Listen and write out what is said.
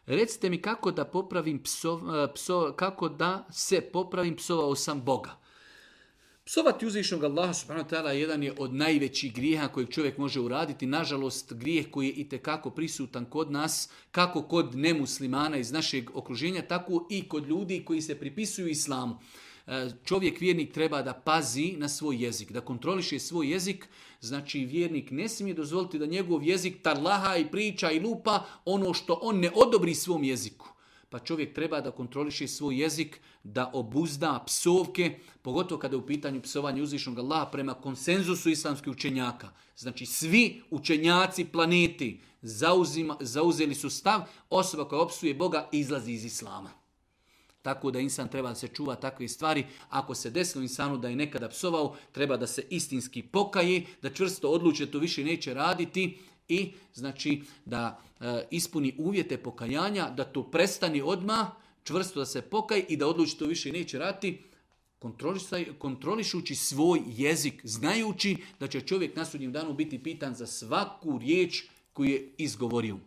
Recite mi kako da popravim kako da se popravim, psovao sam Boga. Psovati uzvišnog Allaha subhanahu wa ta'ala jedan je od najvećih grijeha kojeg čovjek može uraditi. Nažalost, grijeh koji je itekako prisutan kod nas, kako kod nemuslimana iz našeg okruženja, tako i kod ljudi koji se pripisuju islamu. Čovjek, vjernik, treba da pazi na svoj jezik, da kontroliše svoj jezik. Znači, vjernik ne smije dozvoliti da njegov jezik tarlaha i priča i lupa ono što on ne odobri svom jeziku. Pa čovjek treba da kontroliše svoj jezik, da obuzda psovke, pogotovo kada je u pitanju psovanja uzvišnog Allaha prema konsenzusu islamskih učenjaka. Znači, svi učenjaci planeti zauzeli su stav, osoba koja opsuje Boga izlazi iz islama. Tako da insan treba da se čuva takve stvari. Ako se desilo insanu da je nekada psovao, treba da se istinski pokaje, da čvrsto odluči da to više neće raditi i znači da ispuni uvjete pokajanja, da to prestane odmah, čvrsto da se pokaje i da odluči to više neće raditi, kontrolišući svoj jezik, znajući da će čovjek na sudnjem danu biti pitan za svaku riječ koju je izgovorio.